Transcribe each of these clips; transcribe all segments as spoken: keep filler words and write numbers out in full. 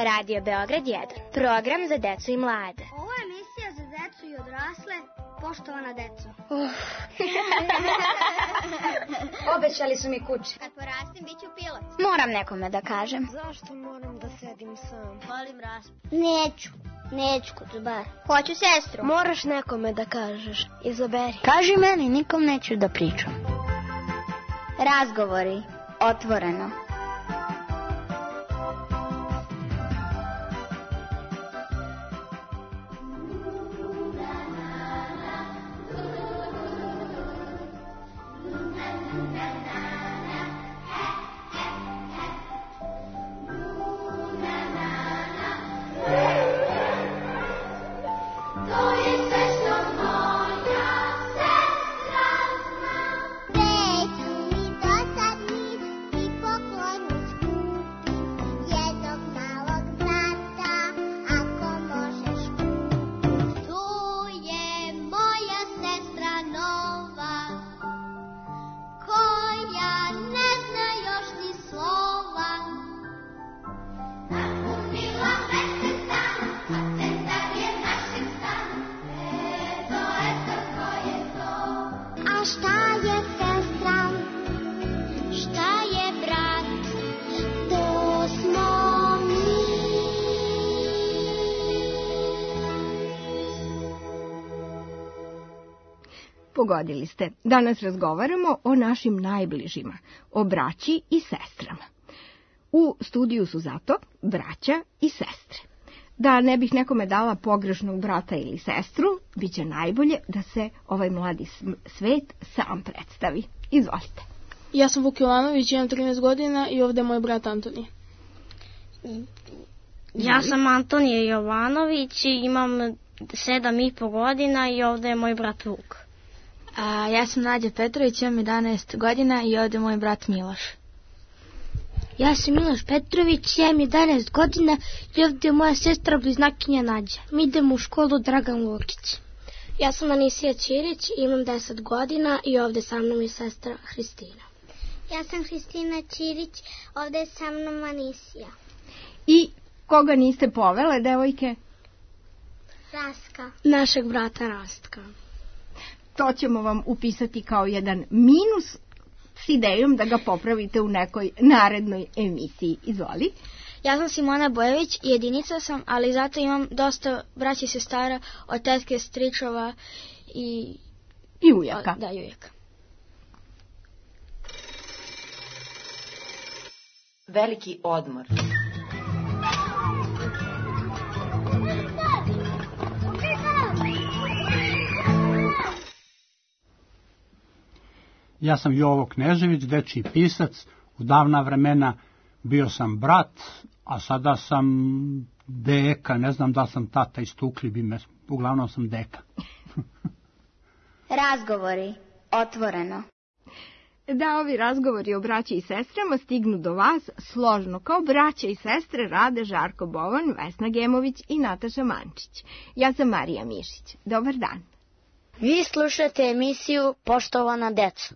Radio Beograd jedan. Program za decu i mlade. Ovo je emisija za decu i odrasle. Poštovana deco. Uh. Obećali su mi kuće. Kad porastim, bit ću pilot. Moram nekome da kažem. Zašto moram da sedim sam? Volim raspad. Neću. Neću kod bar. Hoću sestru. Moraš nekome da kažeš. Izaberi. Kaži meni, nikom neću da pričam. Razgovori. Otvoreno. Pogodili ste. Danas razgovaramo o našim najbližima, o braći i sestrama. U studiju su zato braća i sestre. Da ne bih nekome dala pogrešnog brata ili sestru, bit će najbolje da se ovaj mladi svet sam predstavi. Izvolite. Ja sam Vuk Jovanović, imam trinaest godina i ovdje je moj brat Antonije. Ja sam Antonije Jovanović i imam sedam i po godina i ovdje je moj brat Vuk. A, ja sam Nađa Petrović, imam jedanaest godina i ovdje je moj brat Miloš. Ja sam Miloš Petrović, imam jedanaest godina i ovdje je moja sestra bliznakinja Nađa. Mi idemo u školu Dragan Lukić. Ja sam Anisija Ćirić, imam deset godina i ovdje sa mnom je sestra Hristina. Ja sam Hristina Ćirić, ovdje je sa mnom Anisija. I koga niste povele, devojke? Raska. Našeg brata Rastka. To ćemo vam upisati kao jedan minus s idejom da ga popravite u nekoj narednoj emisiji. Izvoli. Ja sam Simona Bojević, jedinica sam, ali zato imam dosta braća i sestara od tetke, stričova i... I ujaka. Da, i ujaka. Veliki odmor. Ja sam Jovo Knežević, dečiji pisac. U davna vremena bio sam brat, a sada sam deka. Ne znam da sam tata, istukli bi me. Uglavnom sam deka. Razgovori. Otvoreno. Da ovi razgovori o braći i sestrama stignu do vas složno. Kao braća i sestre rade Žarko Bovan, Vesna Gemović i Nataša Mančić. Ja sam Marija Mišić. Dobar dan. Vi slušate emisiju Poštovana deco.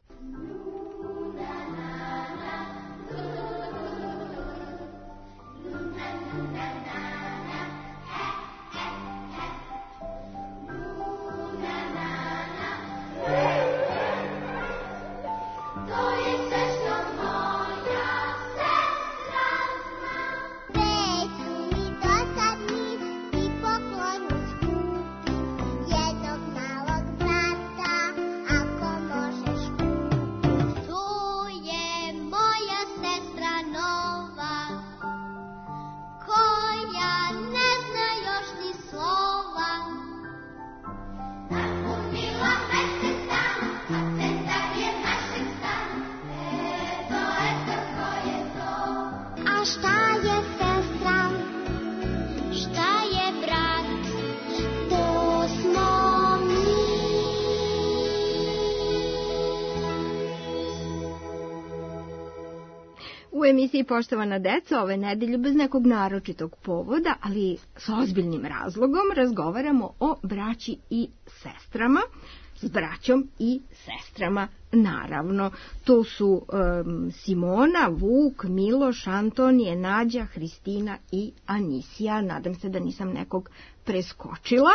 U emisiji Poštovana deca ove nedelje bez nekog naročitog povoda, ali s ozbiljnim razlogom razgovaramo o braći i sestrama. s braćom i sestrama, naravno. To su um, Simona, Vuk, Miloš, Antonije, Nađa, Hristina i Anisija. Nadam se da nisam nekog preskočila.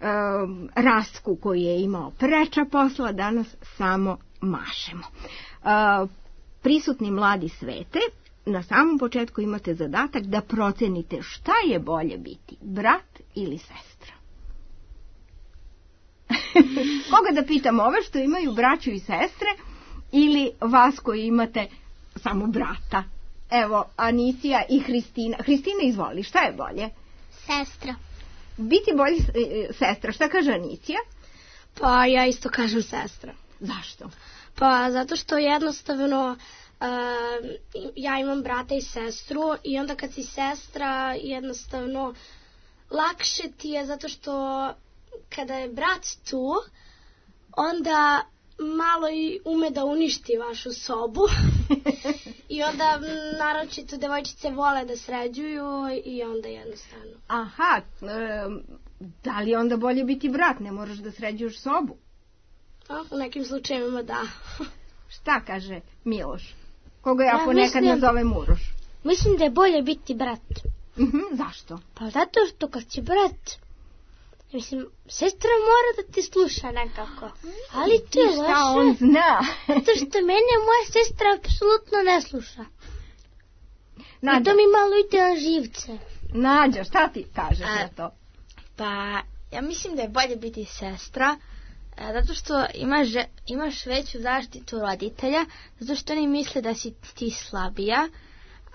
Um, Rastku koji je imao preča posla, danas samo mašemo. Uh, prisutni mladi svete, na samom početku imate zadatak da procenite šta je bolje biti, brat ili sestra. Koga da pitam, ove što imaju braću i sestre ili vas koji imate samo brata? Evo, Anisija i Hristina. Hristina, izvoli, šta je bolje? Sestra. Biti bolje e, sestra, šta kaže Anisija? Pa ja isto kažem sestra. Zašto? Pa zato što jednostavno uh, ja imam brata i sestru i onda kad si sestra jednostavno lakše ti je zato što kada je brat tu onda malo i ume da uništi vašu sobu i onda naročito devojčice vole da sređuju i onda jednostavno. Aha, e, da li onda bolje biti brat, ne moraš da sređuješ sobu? A, u nekim slučajevima da. Šta kaže Miloš? Koga ja, ja ponekad mislim, nazovem Uroš? Mislim da je bolje biti brat. Mhm, zašto? Pa zato što kad si brat, mislim, sestra mora da ti sluša nekako. Ali to je loše. Šta on zna? Zato što mene moja sestra apsolutno ne sluša. Nađa. I to mi malo ide na živce. Nađa, šta ti kažeš A, na to? Pa, ja mislim da je bolje biti sestra, zato što imaš, imaš veću zaštitu roditelja, zato što oni misle da si ti slabija,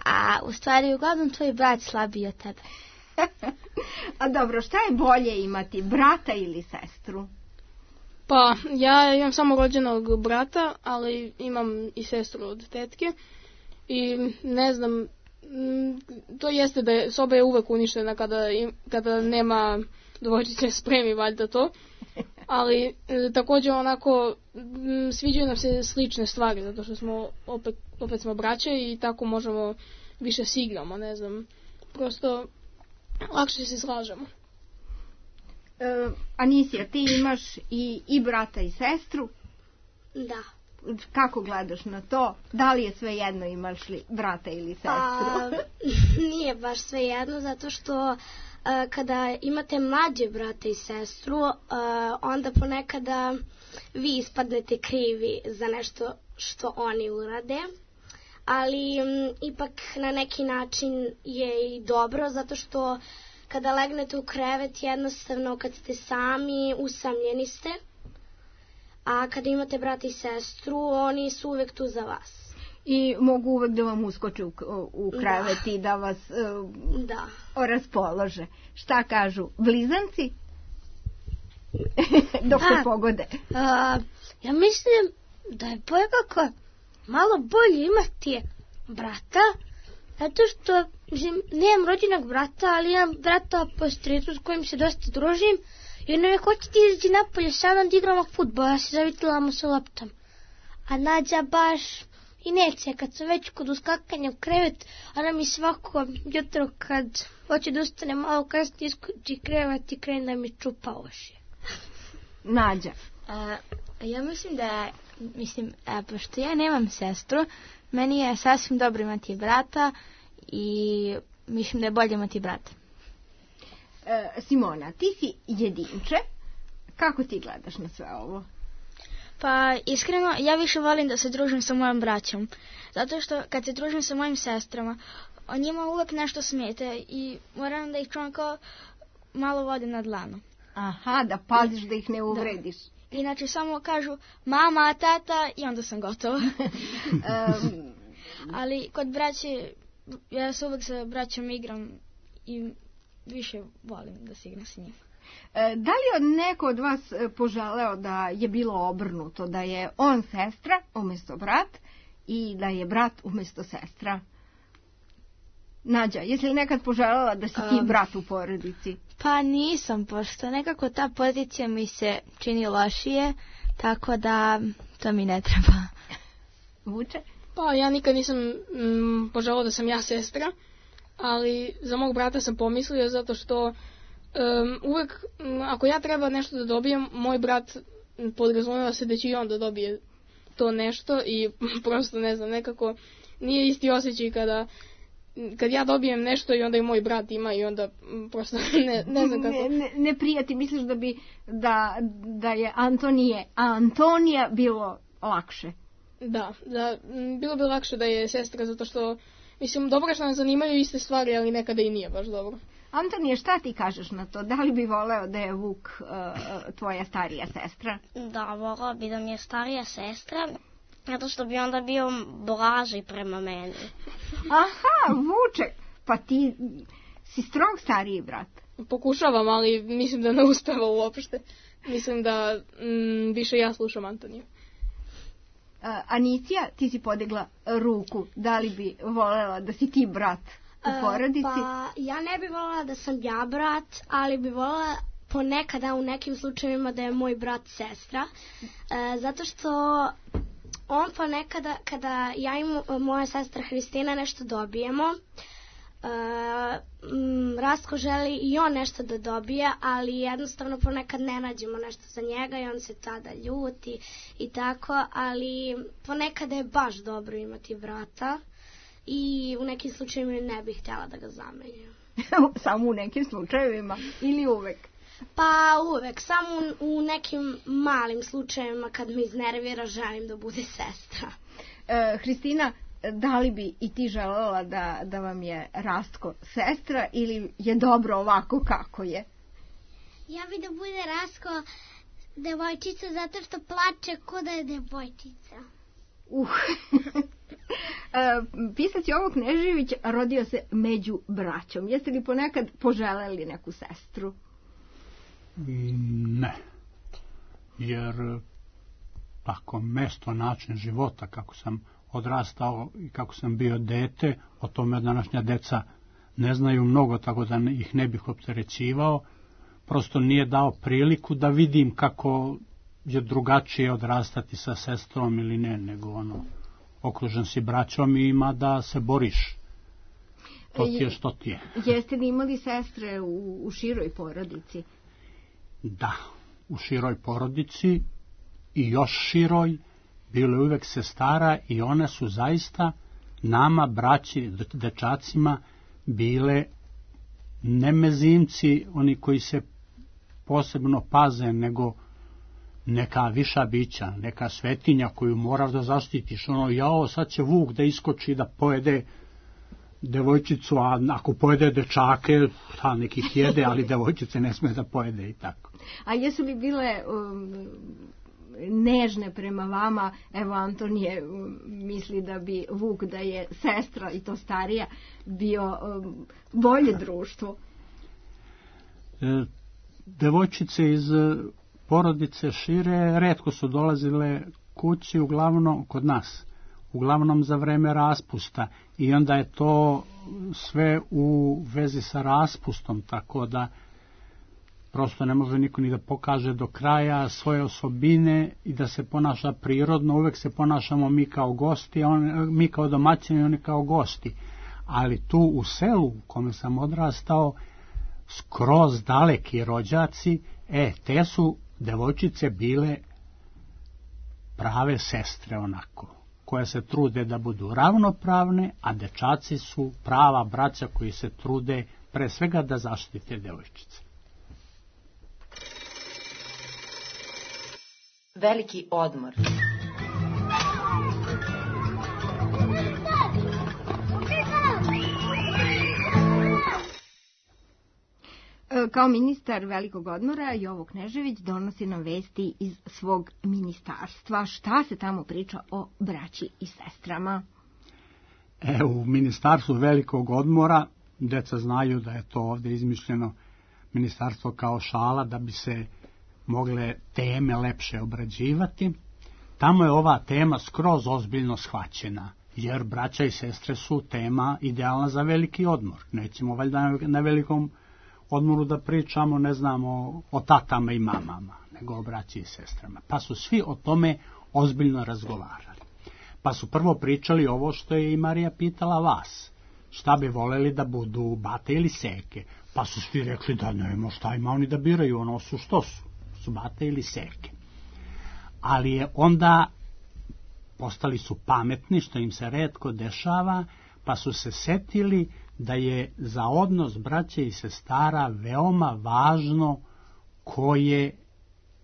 a u stvari uglavnom tvoj brat slabiji od tebe. A dobro, šta je bolje imati, brata ili sestru? Pa, ja imam samo rođenog brata, ali imam i sestru od tetke i ne znam, to jeste da je, soba je uvek uništena kada, kada nema dvojčice spremi, valjda to. Ali e, također onako m, sviđaju nam se slične stvari, zato što smo opet, opet smo braće i tako možemo više se igramo, ne znam, prosto lakše se slažemo. E, Anisija, ti imaš i, i brata i sestru? Da. Kako gledaš na to? Da li je sve jedno, imaš li brata ili sestru? A, nije baš sve jedno, zato što Uh, kada imate mlađe brate i sestru, uh, onda ponekada vi ispadnete krivi za nešto što oni urade, ali um, ipak na neki način je i dobro, zato što kada legnete u krevet jednostavno kad ste sami, usamljeni ste, a kada imate brata i sestru, oni su uvek tu za vas. I mogu uvek da vam uskoče u, u krevet da. I da vas uh, da. raspolože. Šta kažu blizanci? Dok se A, pogode. A, ja mislim da je bolje kako malo bolje imati brata, zato što mislim, nemam rođenog brata, ali imam brata po stricu s kojim se dosta družim i ono je hoćete izaći napolje sa mnom da igramo fudbal, ja se zavitila sa loptom. A Nađa baš i neće, kad sam već kod uskakanja u krevet, ona mi svako jutro kad hoće da ustane malo kasnije iskući krevet i krene da mi čupa uši. Nađa. A, ja mislim da, mislim, a, pošto ja nemam sestru, meni je sasvim dobro imati brata i mislim da je bolje imati brata. E, Simona, ti si jedinče. Kako ti gledaš na sve ovo? Pa iskreno, ja više volim da se družim sa mojom braćom. Zato što kad se družim sa mojim sestrama, o njima uvek nešto smete i moram da ih čuvam kao malo vode na dlanu. Aha, da paziš da ih ne uvrediš. Da. Inače samo kažu mama, tata i onda sam gotova. um, Ali kod braće, ja se uvek sa braćom igram i više volim da se igram sa njima. Da li je neko od vas poželeo da je bilo obrnuto, da je on sestra umjesto brat i da je brat umjesto sestra? Nađa, jesi li nekad poželjela da si ti um, brat u porodici? Pa nisam, pošto nekako ta pozicija mi se čini lošije, tako da to mi ne treba. Vuče? Pa ja nikad nisam mm, poželjela da sam ja sestra, ali za mog brata sam pomislio zato što Um, uvek, um, ako ja treba nešto da dobijem, moj brat podrazumeva se da će i on da dobije to nešto i prosto ne znam, nekako nije isti osjećaj kada kad ja dobijem nešto i onda i moj brat ima i onda prosto ne, ne znam kako. Ne, ne, ne prijati, misliš da bi da, da je Antonije, a Antonija bilo lakše? Da, da, bilo bi lakše da je sestra, zato što mislim, dobro je što nas zanimaju iste stvari, ali nekada i nije baš dobro. Antonije, šta ti kažeš na to? Da li bi voleo da je Vuk uh, tvoja starija sestra? Da, voleo bi da mi je starija sestra, zato što bi onda bio blaži prema meni. Aha, Vuče, pa ti si strog stariji brat. Pokušavam, ali mislim da ne uspeva uopšte. Mislim da mm, više ja slušam Antoniju. Uh, Anicija, ti si podigla ruku. Da li bi volela da si ti brat u porodici? Uh, pa ja ne bi volela da sam ja brat, ali bi volela ponekada u nekim slučajevima da je moj brat sestra. Uh, zato što on ponekada, kada ja i moja sestra Hristina nešto dobijemo, Uh, m, Rastko želi i on nešto da dobije, ali jednostavno ponekad ne nađemo nešto za njega i on se tada ljuti i tako, ali ponekada je baš dobro imati brata i u nekim slučajevima ne bih htjela da ga zamenjam. Samo u nekim slučajevima ili uvek? Pa uvek, samo u, u nekim malim slučajevima kad me iznervira želim da bude sestra. Uh, Hristina, da li bi i ti želela da, da vam je Rastko sestra ili je dobro ovako kako je? Ja bi da bude Rastko devojčica zato što plače ko da je devojčica. Uh. Pisac Jovo Knežević rodio se među braćom. Jeste li ponekad poželeli neku sestru? Ne. Jer tako mesto, način života kako sam odrastao i kako sam bio dete, o tome današnja deca ne znaju mnogo, tako da ih ne bih opterećivao. Prosto nije dao priliku da vidim kako je drugačije odrastati sa sestrom ili ne, nego ono, okružen si braćom i ima da se boriš. To ti je što ti je. Jeste li imali sestre u, u široj porodici? Da, u široj porodici i još široj. Bilo je uvek sestara i one su zaista nama, braći, dečacima, bile ne mezimci, oni koji se posebno paze, nego neka viša bića, neka svetinja koju moraš da zaštitiš. Ono, jao, sad će Vuk da iskoči da pojede devojčicu, a ako pojede dečake, ta nekih jede, ali devojčice ne sme da pojede i tako. A jesu li bile um, nežne prema vama? Evo, Antonije um, misli da bi Vuk, da je sestra i to starija, bio um, bolje društvo. E, devojčice iz porodice šire retko su dolazile kući, uglavnom kod nas, uglavnom za vreme raspusta, i onda je to sve u vezi sa raspustom, tako da prosto ne može niko ni da pokaže do kraja svoje osobine i da se ponaša prirodno. Uvek se ponašamo mi kao gosti, on, mi kao domaćini i oni kao gosti. Ali tu u selu u kome sam odrastao, skroz daleki rođaci, e, te su devojčice bile prave sestre onako, koje se trude da budu ravnopravne, a dečaci su prava braća koji se trude pre svega da zaštite devojčice. Veliki odmor. Kao ministar velikog odmora, Jovo Knežević donosi nam vesti iz svog ministarstva. Šta se tamo priča o braći i sestrama? E, u ministarstvu velikog odmora, deca znaju da je to ovdje izmišljeno ministarstvo kao šala, da bi se mogle teme lepše obrađivati. Tamo je ova tema skroz ozbiljno shvaćena, jer braća i sestre su tema idealna za veliki odmor. Nećemo valjda na velikom odmoru da pričamo, ne znamo, o tatama i mamama, nego o braći i sestrama. Pa su svi o tome ozbiljno razgovarali. Pa su prvo pričali ovo što je i Marija pitala vas. Šta bi voleli da budu, bate ili seke? Pa su svi rekli da nema šta ima oni da biraju, ono su što su, su bate ili seke. ali je onda postali su pametni, što im se retko dešava, pa su se setili da je za odnos braće i sestara veoma važno ko je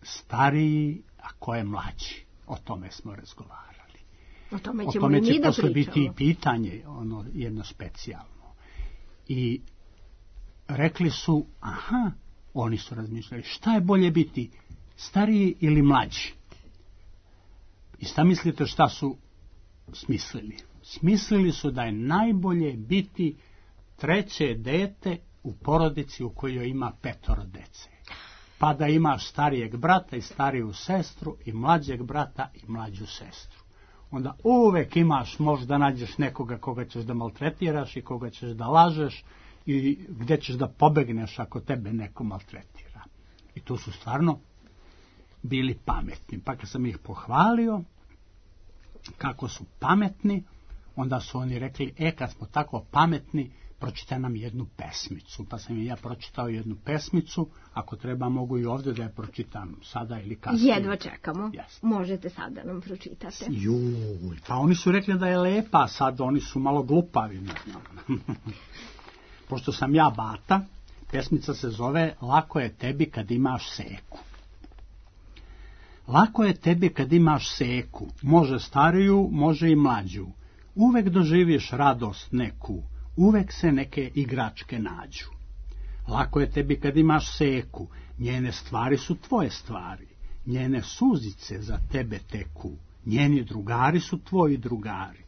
stariji, a ko je mlađi. O tome smo razgovarali. O tome, o ćemo tome će i mi da posle pričamo. biti i pitanje, ono jedno specijalno. I rekli su, aha, oni su razmišljali, šta je bolje biti, stariji ili mlađi? I šta mislite šta su smislili? Smislili su da je najbolje biti treće dete u porodici u kojoj ima petoro dece. Pa da imaš starijeg brata i stariju sestru i mlađeg brata i mlađu sestru. Onda uvek imaš, možda nađeš nekoga koga ćeš da maltretiraš i koga ćeš da lažeš i gde ćeš da pobegneš ako tebe neko maltretira. I tu su stvarno bili pametni. Pa kad sam ih pohvalio kako su pametni, onda su oni rekli, e, kad smo tako pametni, pročitaj nam jednu pesmicu. Pa sam i ja pročitao jednu pesmicu, ako treba mogu i ovdje da je pročitam sada ili kasnije. Jedva čekamo. Yes. Možete sada nam pročitate. Juj, pa oni su rekli da je lepa, a sad oni su malo glupavi. Pošto sam ja bata, pesmica se zove Lako je tebi kad imaš seku. Lako je tebi kad imaš seku, može stariju, može i mlađu. Uvek doživiš radost neku, uvek se neke igračke nađu. Lako je tebi kad imaš seku, njene stvari su tvoje stvari, njene suzice za tebe teku, njeni drugari su tvoji drugari.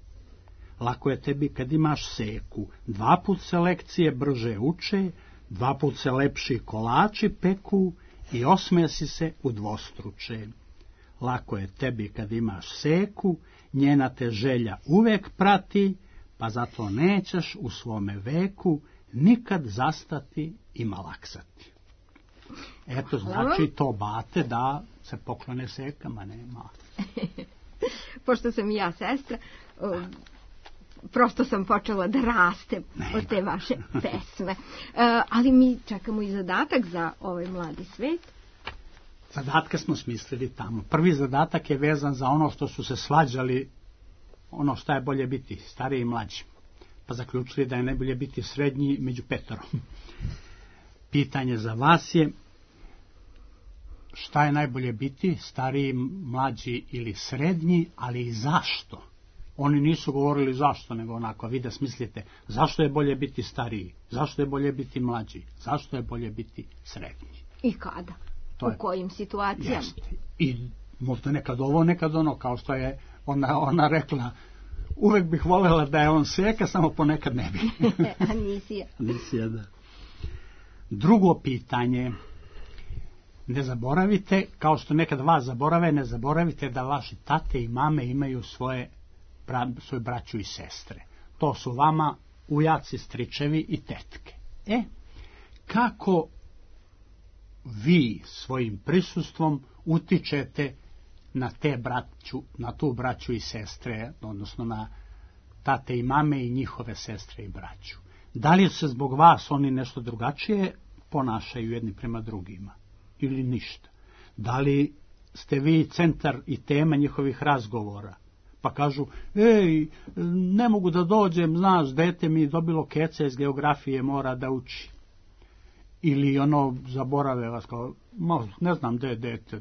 Lako je tebi kad imaš seku, dva put se lekcije brže uče, dva put se lepši kolači peku i osmesi se udvostruče. Lako je tebi kad imaš seku, njena te želja uvek prati, pa zato nećeš u svome veku nikad zastati i malaksati. Eto, znači to bate da se poklone sekama, nema. Pošto sam i ja sestra, o, prosto sam počela da rastem nema. Od te vaše pesme. E, ali mi čekamo i zadatak za ovaj mladi svet. Zadatke smo smislili tamo. Prvi zadatak je vezan za ono što su se svađali, ono šta je bolje biti, stariji i mlađi. Pa zaključili da je najbolje biti srednji među petorom. Pitanje za vas je, šta je najbolje biti, stariji, mlađi ili srednji, ali i zašto? Oni nisu govorili zašto, nego onako, vi da smislite, zašto je bolje biti stariji, zašto je bolje biti mlađi, zašto je bolje biti srednji. I kada? To u je, kojim situacijama? Jeste. I možda nekad ovo, nekad ono, kao što je ona, ona rekla, uvek bih voljela da je on seka, samo ponekad ne bi. A nisi ja. Nisi ja, da. Drugo pitanje, ne zaboravite, kao što nekad vas zaborave, ne zaboravite da vaši tate i mame imaju svoje, bra, svoje braću i sestre. To su vama ujaci, stričevi i tetke. E, kako vi svojim prisustvom utičete na te braću, na tu braću i sestre, odnosno na tate i mame i njihove sestre i braću. Da li se zbog vas oni nešto drugačije ponašaju jedni prema drugima ili ništa? Da li ste vi centar i tema njihovih razgovora? Pa kažu, ej, ne mogu da dođem, znaš, dete mi dobilo keca iz geografije, mora da uči. Ili ono, zaborave vas, kao, ne znam gde je dete,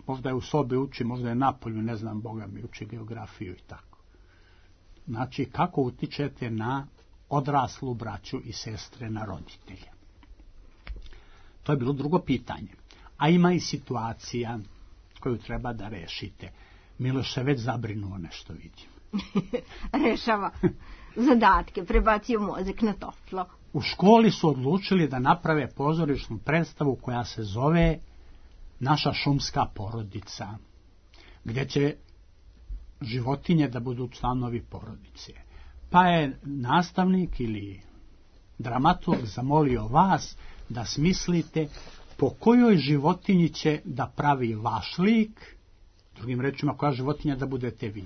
možda je u sobi uči, možda je napolju, ne znam, Boga mi uči geografiju i tako. Znači, kako utičete na odraslu braću i sestre, na roditelje? To je bilo drugo pitanje. A ima i situacija koju treba da rešite. Miloš se već zabrinuo nešto, vidim. Rešava zadatke, prebacio mozak na toplo. U školi su odlučili da naprave pozorišnu predstavu koja se zove Naša šumska porodica, gdje će životinje da budu članovi porodice. Pa je nastavnik ili dramaturg zamolio vas da smislite po kojoj životinji će da pravi vaš lik, drugim rečima koja životinja da budete vi,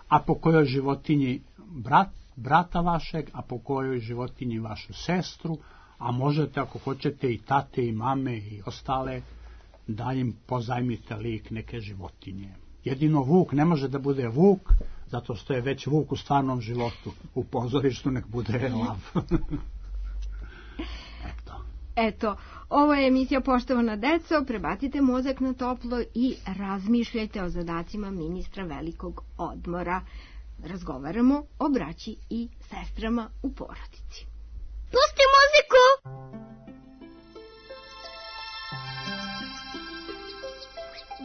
a po kojoj životinji brat, brata vašeg, a po kojoj životinji vašu sestru, a možete ako hoćete i tate i mame i ostale, da im pozajmite lik neke životinje. Jedino Vuk ne može da bude Vuk, zato što je već Vuk u stvarnom životu. U pozorištu nek bude lav. Eto. Eto, ovo je emisija Poštovana deco, prebacite mozak na toplo i razmišljajte o zadacima ministra velikog odmora. Razgovaramo o braći i sestrama u porodici. Pusti muziku!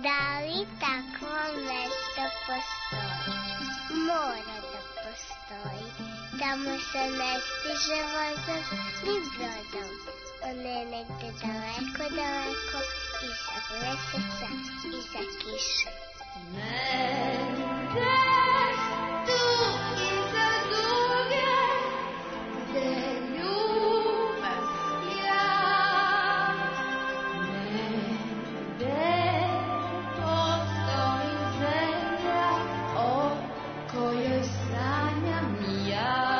Da li takvo mesto postoji? Mora da postoji. Tamo se ne stiže vozom ni brodom. On je negde daleko, daleko, iza meseca, iza kiše. Negde tu iza duge, gde ljubim ja. Negde postoji zemlja o kojoj sanjam ja.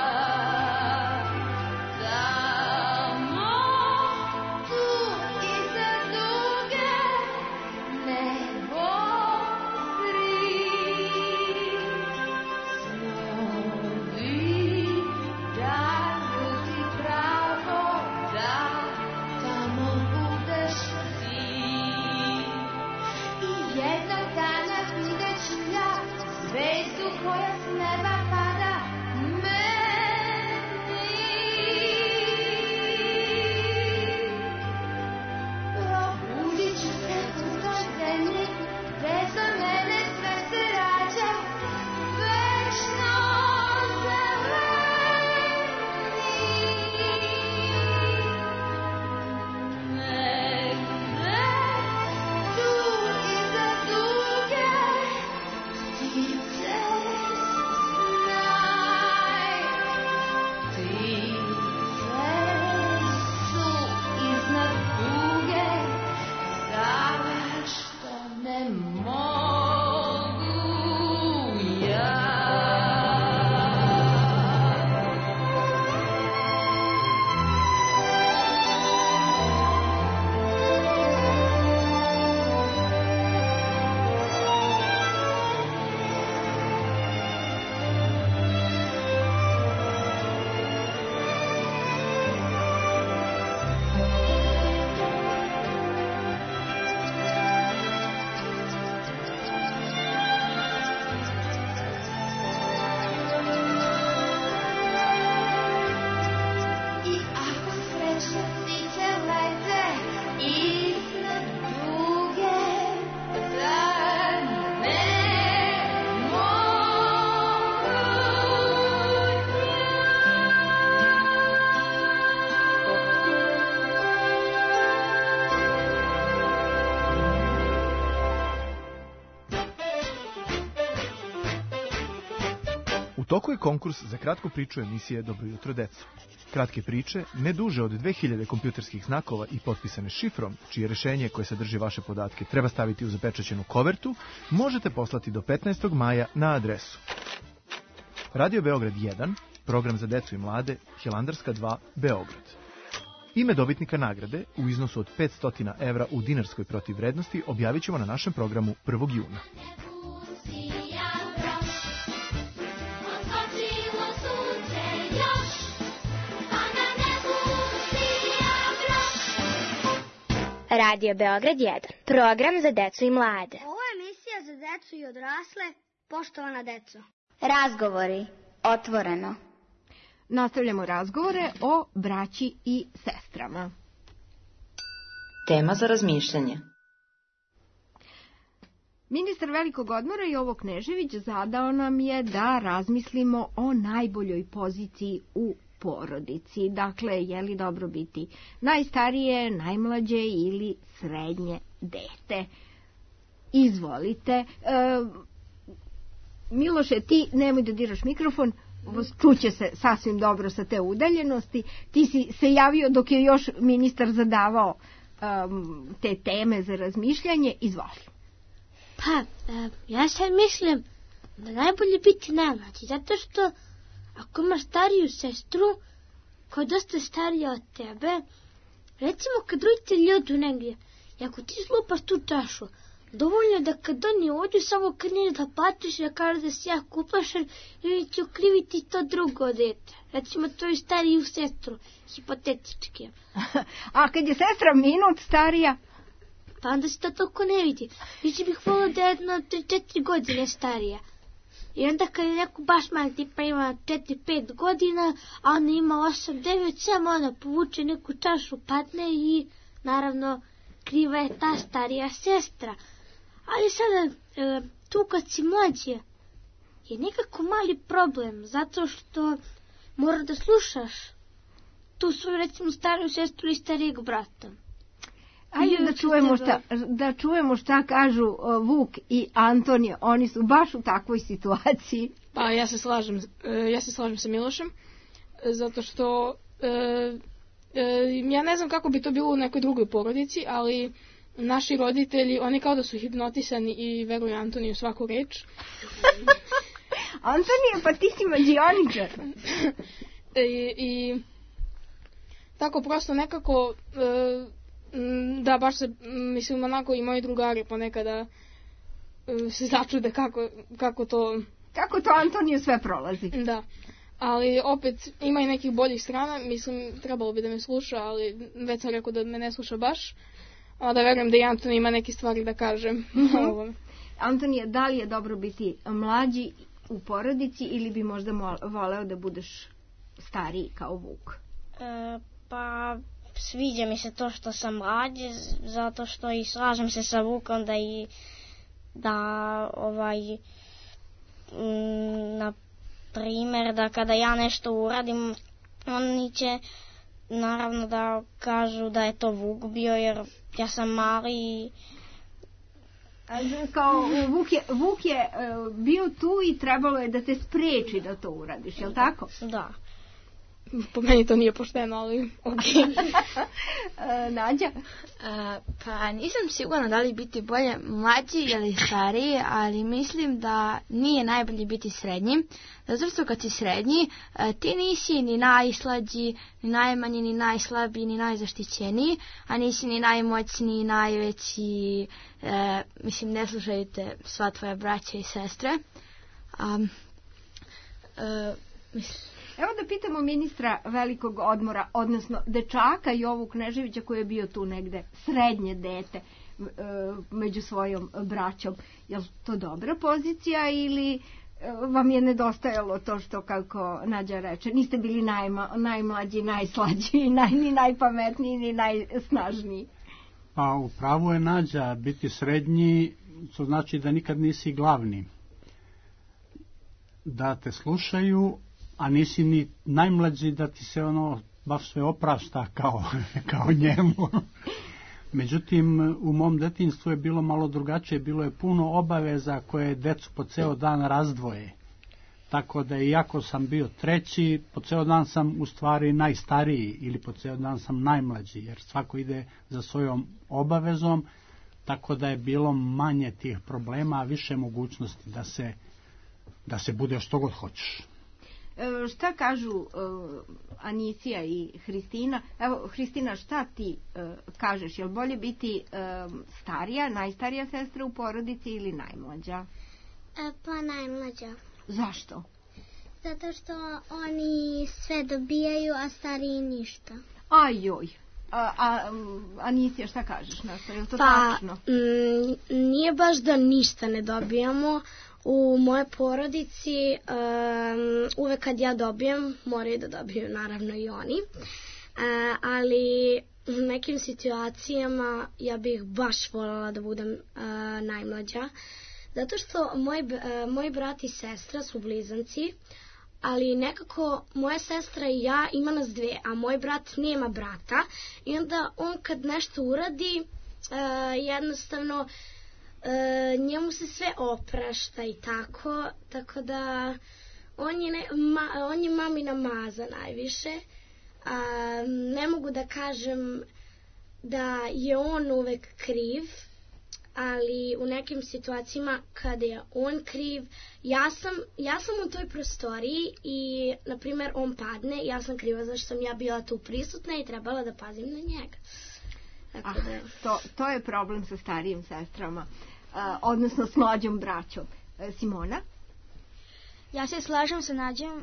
toku je konkurs za kratku priču emisije Dobro jutro deco. Kratke priče, ne duže od dve hiljade kompjuterskih znakova i potpisane šifrom, čije rešenje koje sadrži vaše podatke treba staviti u zapečaćenu kovertu, možete poslati do petnaestog maja na adresu Radio Beograd jedan, program za decu i mlade, Hilandarska dva, Beograd. Ime dobitnika nagrade u iznosu od petsto evra u dinarskoj protivvrednosti objavit ćemo na našem programu prvog juna. Radio Beograd jedan, program za decu i mlade. Ovo je emisija za decu i odrasle, poštovana deco. Razgovori, otvoreno. Nastavljamo razgovore o braći i sestrama. Tema za razmišljanje. Ministar velikog odmora Jovo Knežević zadao nam je da razmislimo o najboljoj poziciji u porodici. Dakle, je li dobro biti najstarije, najmlađe ili srednje dete? Izvolite. E, Miloše, ti nemoj da diraš mikrofon, čuće se sasvim dobro sa te udaljenosti. Ti si se javio dok je još ministar zadavao um, te teme za razmišljanje. Izvoli. Pa, e, ja sad mislim da najbolje biti najmlađi, zato što ako imaš stariju sestru koja je dosta starija od tebe, recimo kad roditelji odu negdje i ako ti slupaš tu čašu, Dovoljno da kad oni ođu, samo kreneš da plačeš i da kažeš da si jako uplašen i oni će ukriviti to drugo dete. Recimo tvoju stariju sestru, hipotetički. A kad je sestra minut starija? Pa onda se to toliko ne vidi. Više bih volila da je jedna tri četiri godine starija. I onda kad je neko baš mali, tipa ima četiri pet godina, a ona ima osam devet, samo ona povuče neku čašu, padne i naravno kriva je ta starija sestra. Ali sada, e, tu kad si mlađe, je nekako mali problem, zato što mora da slušaš tu svoju, recimo, stariju sestru ili starijeg brata. Ajde da čujemo, šta, da čujemo šta kažu uh, Vuk i Antonije, oni su baš u takvoj situaciji. Pa ja se slažem, uh, ja se slažem sa Milošem, uh, zato što uh, uh, ja ne znam kako bi to bilo u nekoj drugoj porodici, ali naši roditelji, oni kao da su hipnotisani i veruju Antoniju svaku reč. Antonije, pa ti si mađioničar. I, I tako prosto nekako... Uh, Da, baš se, mislim, onako i moji drugari ponekada uh, se začude kako, kako to... Kako to Antoniju sve prolazi. Da, ali opet ima i nekih boljih strana, mislim, trebalo bi da me sluša, ali već sam rekao da me ne sluša baš, a da verujem da i Antonija ima neke stvari da kaže. Mm-hmm. Antonija, da li je dobro biti mlađi u porodici ili bi možda voleo da budeš stariji kao Vuk? E, pa... Sviđa mi se to što sam mlađi, zato što i slažem se sa Vukom da i da ovaj m, na primjer da kada ja nešto uradim, oni će naravno da kažu da je to Vuk bio jer ja sam mali i kao Vuk je, Vuk je uh, bio tu i trebalo je da te spreči da to uradiš, je li tako? Da. Po meni to nije pošteno, ali okej. Okay. Nađa? Uh, pa nisam sigurna da li biti bolje mlađi ili stariji, ali mislim da nije najbolje biti srednji. Zato što kad si srednji, uh, ti nisi ni najslađi, ni najmanji, ni najslabiji, ni najzaštićeniji, a nisi ni najmoćniji, ni najveći. Uh, mislim, ne slušaju te sva tvoja braća i sestre. Um, uh, mislim... Evo da pitamo ministra velikog odmora, odnosno dečaka Jovu Kneževića koji je bio tu negde, srednje dete među svojom braćom. Je li to dobra pozicija ili vam je nedostajalo to što, kako Nađa reče, niste bili najma, najmlađi, najslađi, naj, ni najpametniji, ni najsnažniji? Pa upravo je Nađa, biti srednji, to znači da nikad nisi glavni. Da te slušaju, a nisi ni najmlađi da ti se ono baš sve oprašta kao, kao njemu. Međutim, u mom detinjstvu je bilo malo drugačije, bilo je puno obaveza koje decu po ceo dan razdvoje. Tako da iako sam bio treći, po ceo dan sam u stvari najstariji ili po ceo dan sam najmlađi, jer svako ide za svojom obavezom, tako da je bilo manje tih problema, a više mogućnosti da se, da se bude što god hoćeš. Šta kažu uh, Anicija i Hristina? Evo, Hristina, šta ti uh, kažeš? Je li bolje biti uh, starija, najstarija sestra u porodici ili najmlađa? E, pa najmlađa. Zašto? Zato što oni sve dobijaju, a stariji ništa. Ajoj. A, a Anicija, šta kažeš na to? Je li to pa, tačno? M, nije baš da ništa ne dobijamo. U moje porodici um, uvek kad ja dobijem, moraju da dobiju naravno i oni, uh, ali u nekim situacijama ja bih baš voljela da budem uh, najmlađa, zato što moj, uh, moj brat i sestra su blizanci, ali nekako moja sestra i ja ima nas dve, a moj brat nema brata i onda on kad nešto uradi uh, jednostavno E, njemu se sve oprašta i tako, tako da on je, ne, ma, on je mamina maza najviše. A, ne mogu da kažem da je on uvek kriv, ali u nekim situacijama kada je on kriv, ja sam, ja sam u toj prostoriji i, na primjer, on padne, ja sam kriva zašto sam ja bila tu prisutna i trebala da pazim na njega. Ah, to, to je problem sa starijim sestrama. odnosno s mlađom braćom. Simona? Ja se slažem sa Nađom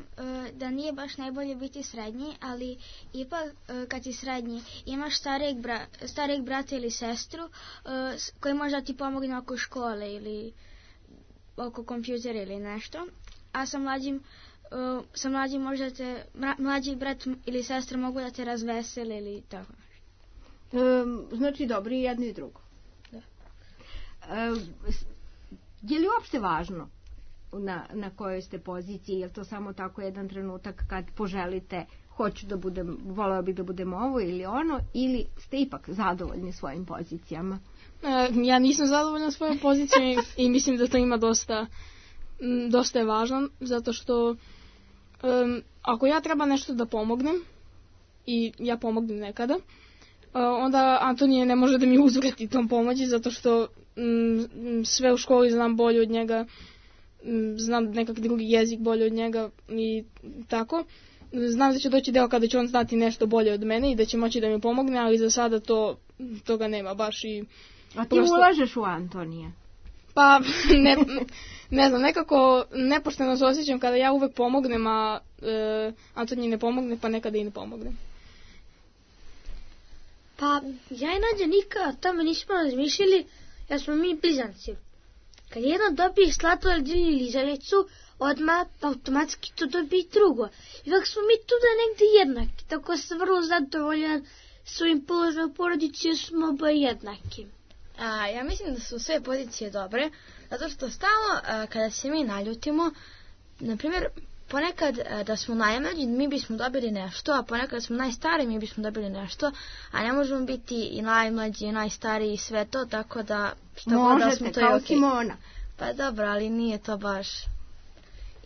da nije baš najbolje biti srednji, ali ipak kad si srednji imaš starijeg, bra, starijeg brata ili sestru koji može da ti pomogne oko škole ili oko kompjutera ili nešto, a sa mlađim, sa mlađim možda te, mlađi brat ili sestra mogu da te razvesele ili tako. Um, znači dobro i jedno i drugo. Da. Um, je li uopšte važno na, na kojoj ste poziciji, je li to samo tako jedan trenutak kad poželite hoću da budem, voleo bih da budem ovo ili ono, ili ste ipak zadovoljni svojim pozicijama? E, ja nisam zadovoljna svojom pozicijom i, i mislim da to ima dosta m, dosta je važno, zato što um, ako ja treba nešto da pomognem i ja pomognem nekada, uh, onda Antonije ne može da mi uzvrati tom pomoći, zato što m, sve u školi znam bolje od njega, m, znam nekak drugi jezik bolje od njega i tako. Znam da će doći deo kada će on znati nešto bolje od mene i da će moći da mi pomogne, ali za sada to, toga nema baš. I a ti prosto ulažeš u Antonija? Pa, ne, ne znam, nekako nepošteno se osjećam kada ja uvek pomognem, a e, Antonij ne pomogne, pa nekada i ne pomogne. Pa, ja i Nađa nikada o tome nismo razmišljali, jer smo mi blizanci. Kad jedan dobije slatoled ili želicu, odmah automatski to dobije i drugo. Ipak smo mi tu da negde jednaki, tako sam vrlo zadovoljan svojim položajem u porodici, jer smo oboje jednaki. A, ja mislim da su sve pozicije dobre, zato što stalno a, kada se mi naljutimo, na primjer, ponekad a, da smo najmlađi mi bismo dobili nešto, a ponekad smo najstariji mi bismo dobili nešto, a ne možemo biti i najmlađi i najstariji i sve to, tako da što god da smo to je okej. Možete, kao Simona. Pa dobro, ali nije to baš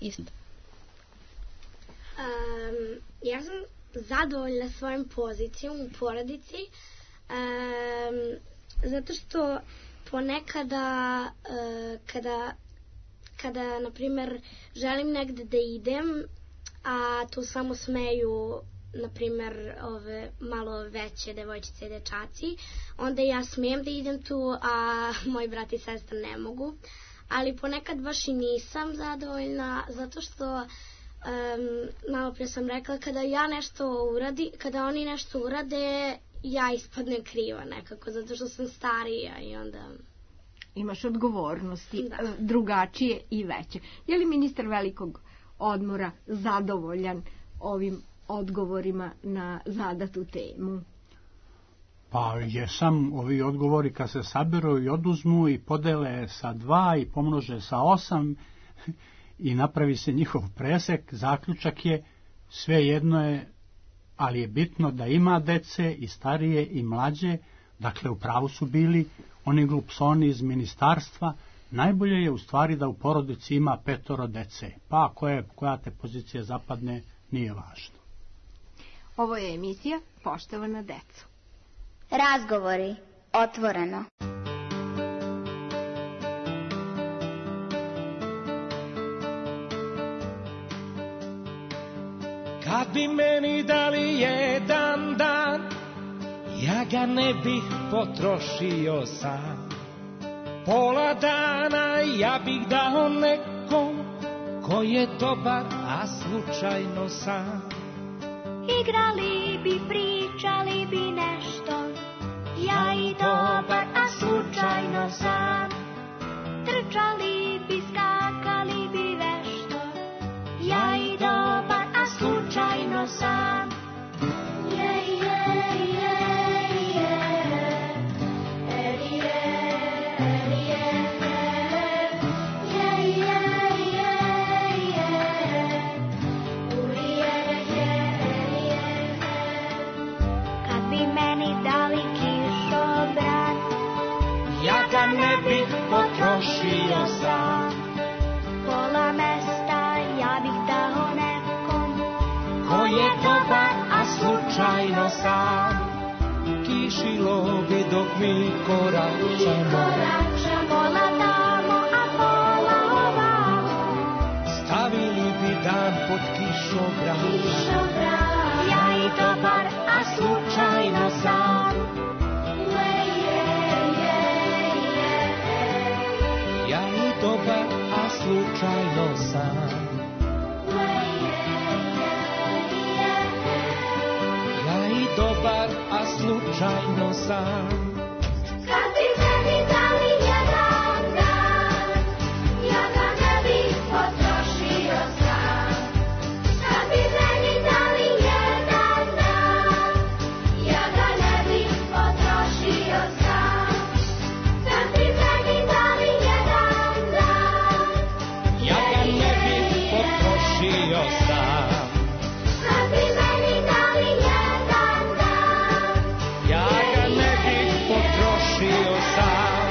isto. Um, ja sam zadovoljna svojom pozicijom u porodici, um, zato što ponekada uh, kada, kada na primjer želim negde da idem, a tu samo smeju na primjer ove malo veće devojčice i dečaci, onda ja smijem da idem tu, a moj brat i sestra ne mogu. Ali ponekad baš i nisam zadovoljna, zato što um, malo prije sam rekla, kada ja nešto uradi, kada oni nešto urade, ja ispadnem kriva nekako, zato što sam starija i onda imaš odgovornosti, da, drugačije i veće. Je li ministar velikog odmora zadovoljan ovim odgovorima na zadatu temu? Pa jesam, ovi odgovori kad se saberu i oduzmu i podele sa dva i pomnože sa osam i napravi se njihov presek, zaključak je sve jedno je, ali je bitno da ima dece i starije i mlađe, dakle u pravu su bili oni glupsoni iz ministarstva, najbolje je u stvari da u porodici ima petoro dece, pa koje, koja te pozicija zapadne nije važno. Ovo je emisija Poštovana deco. Razgovori otvoreno. Kad bi meni dali jedan dan, ja ga ne bih potrošio sam. Pola dana ja bih dao nekom ko je dobar, a slučajno sam. Igrali bi, pričali bi nešto, ja i dobar, a slučajno sam. Trčali bi, skakali bi vešto, ja i dobar, a slučajno sam. Je, je, je, je, eri, je, eri, je, je, je, je, je, uri, je, je. Kad bi meni dali kišobran, ja ga ne bih potrošio sam. Pola mesta ja bih dao nekom ko je dobar, a slučajno sam. Kišilo bi dok mi koračamo, pola tamo, a pola ovamo. Stavili bi dan pod kišobran, ja i dobar, a slučajno sam. Je, je, je, je, slučajno sam. Ja i dobar, a slučajno sam. Kad bi meni dali jedan dan, ja ga ne bih potrošio sam. Kad bi meni dali jedan dan, ja ga ne bih potrošio sam. Kad bi meni dali jedan dan, Ja ga ne bih potrošio sam. kad bi meni dali jedan dan, Ja ga ne bih potrošio sam.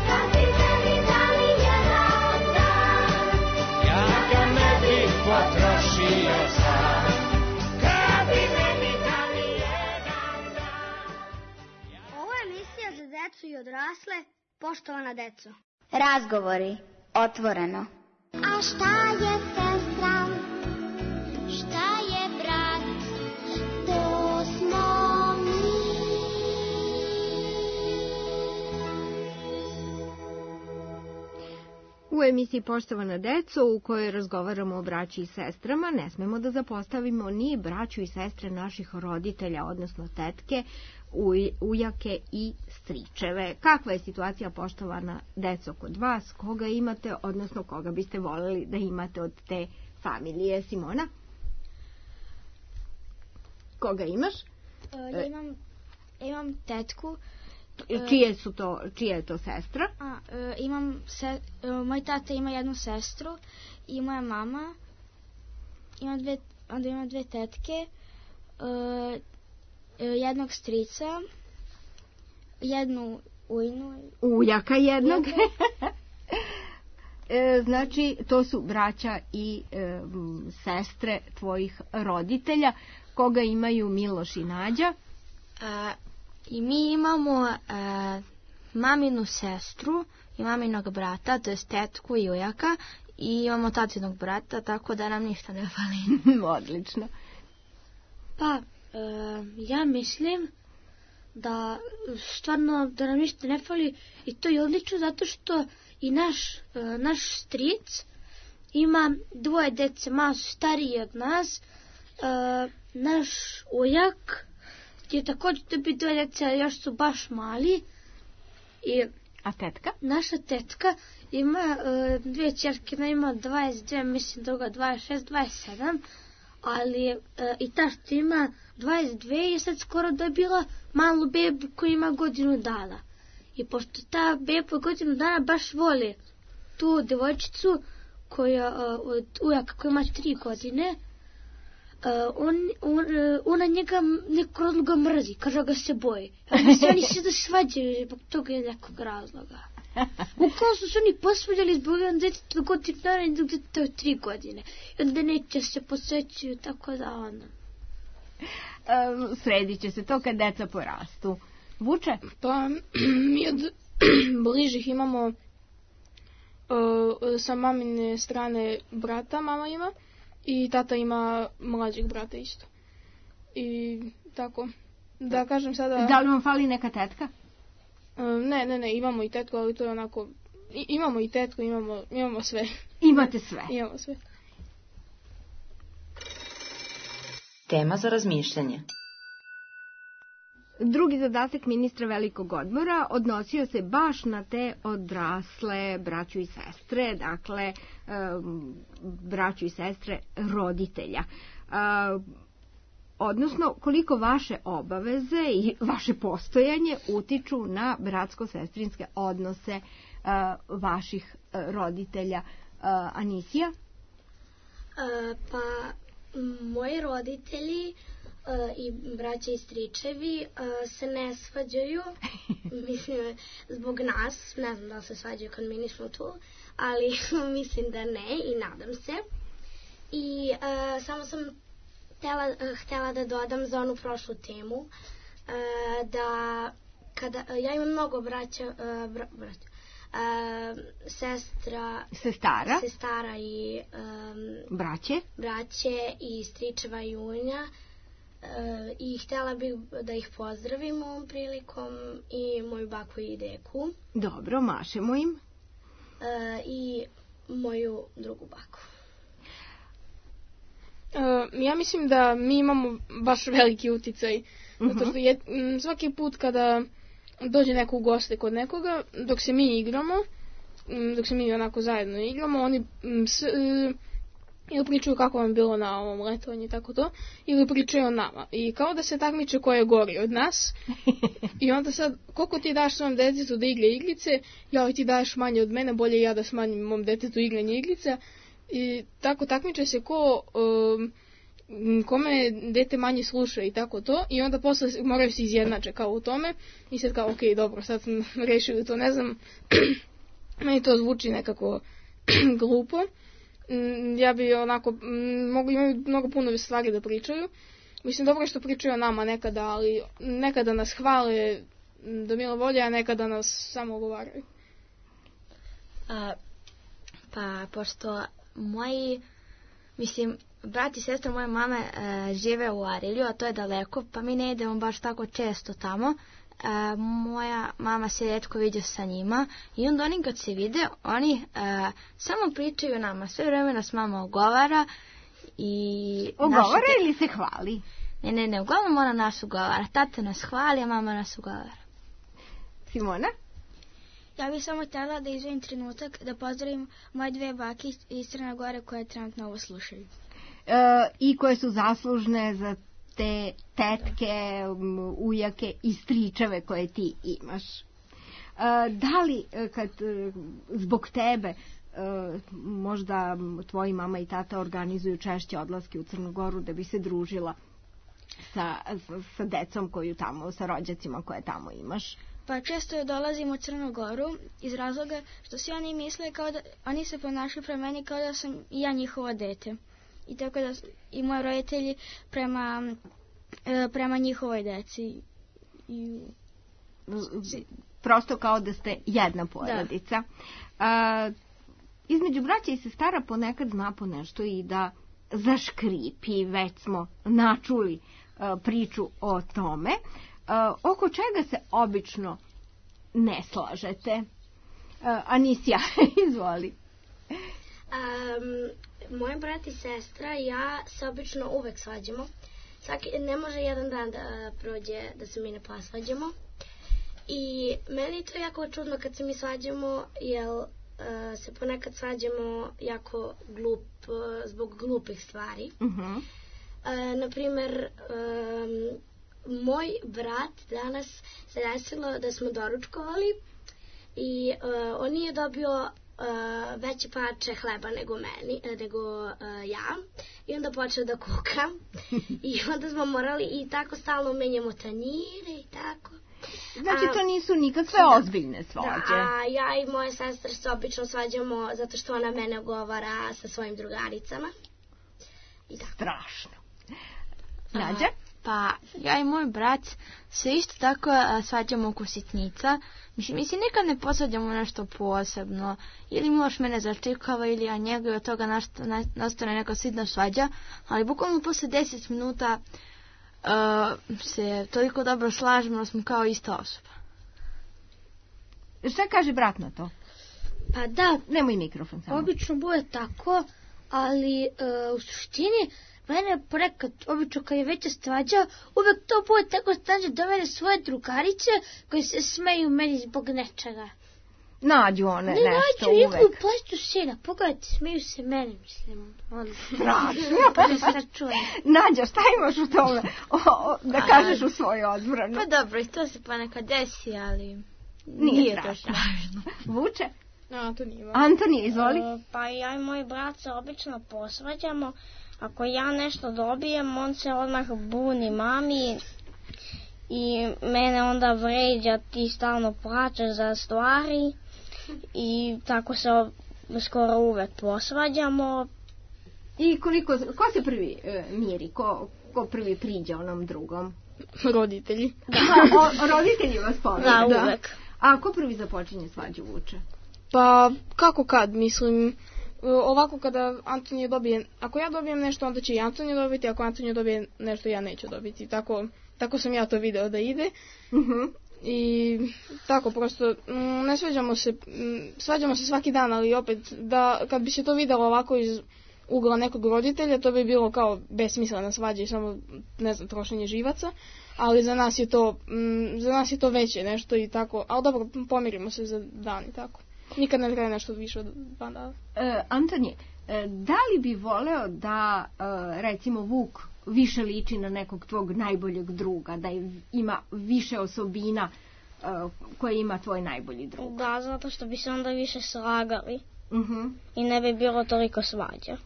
kad bi meni dali jedan dan, Ja ga ne bih potrošio sam. Kad bi meni dali jedan dan. Ovo je emisija za decu i odrasle, poštovana deco. Razgovori otvoreno. A šta je sestra? Šta je brat? To smo mi. U emisiji Poštovana deco, u kojoj razgovaramo o braći i sestrama, ne smemo da zapostavimo ni braću i sestre naših roditelja, odnosno tetke, uj, ujake i stričeve. Kakva je situacija, poštovana deco, kod vas? Koga imate, odnosno koga biste voljeli da imate od te familije? Simona? Koga imaš? Ja imam, imam tetku. Čije su to, čija je to sestra? A, e, imam se, e, moj tata ima jednu sestru i moja mama ima dve, onda ima dve tetke, e, e, jednog strica, jednu ujnu. Ujaka jednog. E, znači, to su braća i e, m, sestre tvojih roditelja. Koga imaju Miloš i Nađa? A, I mi imamo a, maminu sestru i maminog brata, to je tetku i ujaka, i imamo tatinog brata, tako da nam ništa ne fali. Odlično. Pa, e, ja mislim da stvarno da nam ništa ne fali i to je odlično zato što i naš, e, naš stric ima dvoje dece, malo su stariji od nas, e, naš ujak je također dobi dvoje dece, ali još su baš mali. I a tetka? Naša tetka ima e, dvije ćerke, jedna ima dvadeset dve, mislim druga dvadeset šest, dvadeset sedam, ali e, i ta što ima dvadeset dve je sad skoro dobila malu bebu koja ima godinu dana. I pošto ta beba godinu dana baš voli tu devojčicu koja e, od ujaka koja ima tri godine, Uh, on, on, uh, ona njega nekog razloga mrzi, kaže ga se boji. Ali se oni se da svađaju zbog toga je nekog razloga. Ukoliko su se oni posvađali zbog jedan djeteta godinu dana i dok djeteta od tri godine. I onda neće se posvećuju, tako da onda. Um, sredit će se to kad deca porastu. Vuče? Pa mi od bližih imamo uh, sa mamine strane brata, mama ima. I tata ima mlađeg brata isto. I tako. Da kažem sada... Da li vam fali neka tetka? Ne, ne, ne, imamo i tetku, ali to je onako... I, imamo i tetku, imamo, imamo sve. Imate sve? Imamo sve. Tema za razmišljanje. Drugi zadatak ministra velikog odmora odnosio se baš na te odrasle braću i sestre, dakle um, braću i sestre roditelja. Uh, odnosno koliko vaše obaveze i vaše postojanje utiču na bratsko-sestrinske odnose uh, vaših uh, roditelja. Uh, Anisija? Uh, pa moji roditelji Uh, i braća i stričevi uh, se ne svađaju, mislim, zbog nas, ne znam da li se svađaju kad mi nismo tu, ali mislim da ne i nadam se. I uh, samo sam htjela, uh, htjela da dodam za onu prošlu temu, uh, da kada, uh, ja imam mnogo braća, uh, bra, braća uh, sestra, sestara, sestara i um, braće, braće i stričeva i unja. E, i htjela bih da ih pozdravim ovom prilikom i moju baku i deku. Dobro, mašemo im. E, I moju drugu baku. Uh, ja mislim da mi imamo baš veliki uticaj. Uh-huh. Zato što je, m, svaki put kada dođe neko u goste kod nekoga, dok se mi igramo, m, dok se mi onako zajedno igramo, oni m, s, e, ili pričaju kako vam bilo na ovom letovanju i tako to, ili pričaju o nama. I kao da se takmiče ko je gori od nas. I onda sad, koliko ti daš svom detetu da igra igrice, ja ti daš manje od mene, bolje ja da smanjim mom detetu igranje igrica. I tako takmiče se ko um, kome dete manje sluša i tako to. I onda posle moraju se izjednače kao u tome. I sad kao, ok, dobro, sad smo rešili to, ne znam, meni to zvuči nekako glupo. Ja bi onako, mogu, imaju mnogo puno stvari da pričaju. Mislim, dobro što pričaju o nama nekada, ali nekada nas hvale do milo volje, a nekada nas samo ogovaraju. A, pa, pošto moji, mislim, brat i sestra moje mame e, žive u Arilju, a to je daleko, pa mi ne idemo baš tako često tamo. E, moja mama se rijetko viđa sa njima i onda oni kad se vide, oni e, samo pričaju nama, sve vreme nas mama ogovara i... Ogovara te... ili se hvali? Ne, ne, ne, uglavnom ona nas ogovara. Tata nas hvali, a mama nas ogovara. Simona? Ja bih samo htjela da izvojim trenutak da pozdravim moje dve bake iz Crne Gore koje trenutno ovo slušaju. E, I koje su zaslužne za te tetke, ujake i stričeve koje ti imaš. E, da li kad zbog tebe možda tvoji mama i tata organizuju češće odlaske u Crnu Goru da bi se družila sa, sa decom koju tamo, sa rođacima koje tamo imaš? Pa često dolazim u Crnu Goru iz razloga što svi oni misle kao da, oni se ponašaju prema meni kao da sam i ja njihovo dete. I tako da i moji roditelji prema, prema njihovoj deci. I... Prosto kao da ste jedna porodica. Da. Između braća i sestara ponekad zna po nešto i da zaškripi, već smo načuli priču o tome. Oko čega se obično ne slažete? Anisija, izvoli. Um, moj brat i sestra i ja se obično uvek svađamo. Svaki, ne može jedan dan da prođe da se mi ne posvađamo. I meni je to jako čudno kad se mi svađamo, jer uh, se ponekad svađamo jako glup, uh, zbog glupih stvari. Uh-huh. Uh, naprimer, um, moj brat danas se desilo da smo doručkovali i uh, on nije dobio uh, veće parče hleba nego meni, nego uh, ja. I onda počeo da kuka. I onda smo morali i tako stalno menjamo tanjire i tako. Znači to nisu nikakve ozbiljne svađe. Da, a ja i moje sestre se obično svađamo zato što ona mene ogovara sa svojim drugaricama. I tako. Strašno. Nađa? Pa ja i moj brat se isto tako a, svađamo oko sitnica. Mislim, mi se nikad ne posvađamo nešto posebno. Ili Miloš mene začekava ili ja njega i od toga nastane neka sitna svađa. Ali bukvalno posle deset minuta uh, se toliko dobro slažemo da smo kao ista osoba. Šta kaže brat na to? Pa da, nemoj mikrofon samo. Obično bude tako, ali uh, u suštini mene ponekad, obično kad je veća svađa, uvek to bude tako stađe do mene svoje drugarice koje se smeju meni zbog nečega. Nađu one ne, nešto nađu, uvek. Ne nađu plaću sina, pogledajte, smeju se mene, mislim. Strašno. Nađa, šta imaš u tome o, o, da kažeš u svoju odbranu? Pa dobro, to se ponekad desi, ali nije, nije to strašno. Vuče? Antonija. Antonija, izvoli. Uh, pa ja i moj brat se obično posvađamo. Ako ja nešto dobijem, on se odmah buni mami i mene onda vređa, ti stalno plačeš za stvari i tako se skoro uvek posvađamo. I koliko, ko se prvi e, miri, ko, ko prvi priđe onom drugom? Roditelji. Da, o, roditelji vas pomenu. Da, uvek. A ko prvi započinje svađu, Vuče? Pa kako kad, mislim... Ovako kada Antonija dobije, ako ja dobijem nešto, onda će i Antonija dobiti, ako Antonija dobije nešto, ja neću dobiti. Tako, tako sam ja to video da ide. Uh-huh. I tako prosto, m, ne svađamo se, m, svađamo se svaki dan, ali opet, da kad bi se to videlo ovako iz ugla nekog roditelja, to bi bilo kao besmislena svađa i samo, ne znam, trošenje živaca, ali za nas je to, m, za nas je to veće nešto i tako, ali dobro, pomirimo se za dan i tako. Nikad ne traje nešto više od dva dana. E, Antonije, e, da li bi voleo da, e, recimo, Vuk više liči na nekog tvog najboljeg druga, da ima više osobina e, koje ima tvoj najbolji drug? Da, zato što bi se onda više slagali. Uh-huh. I ne bi bilo toliko svađa.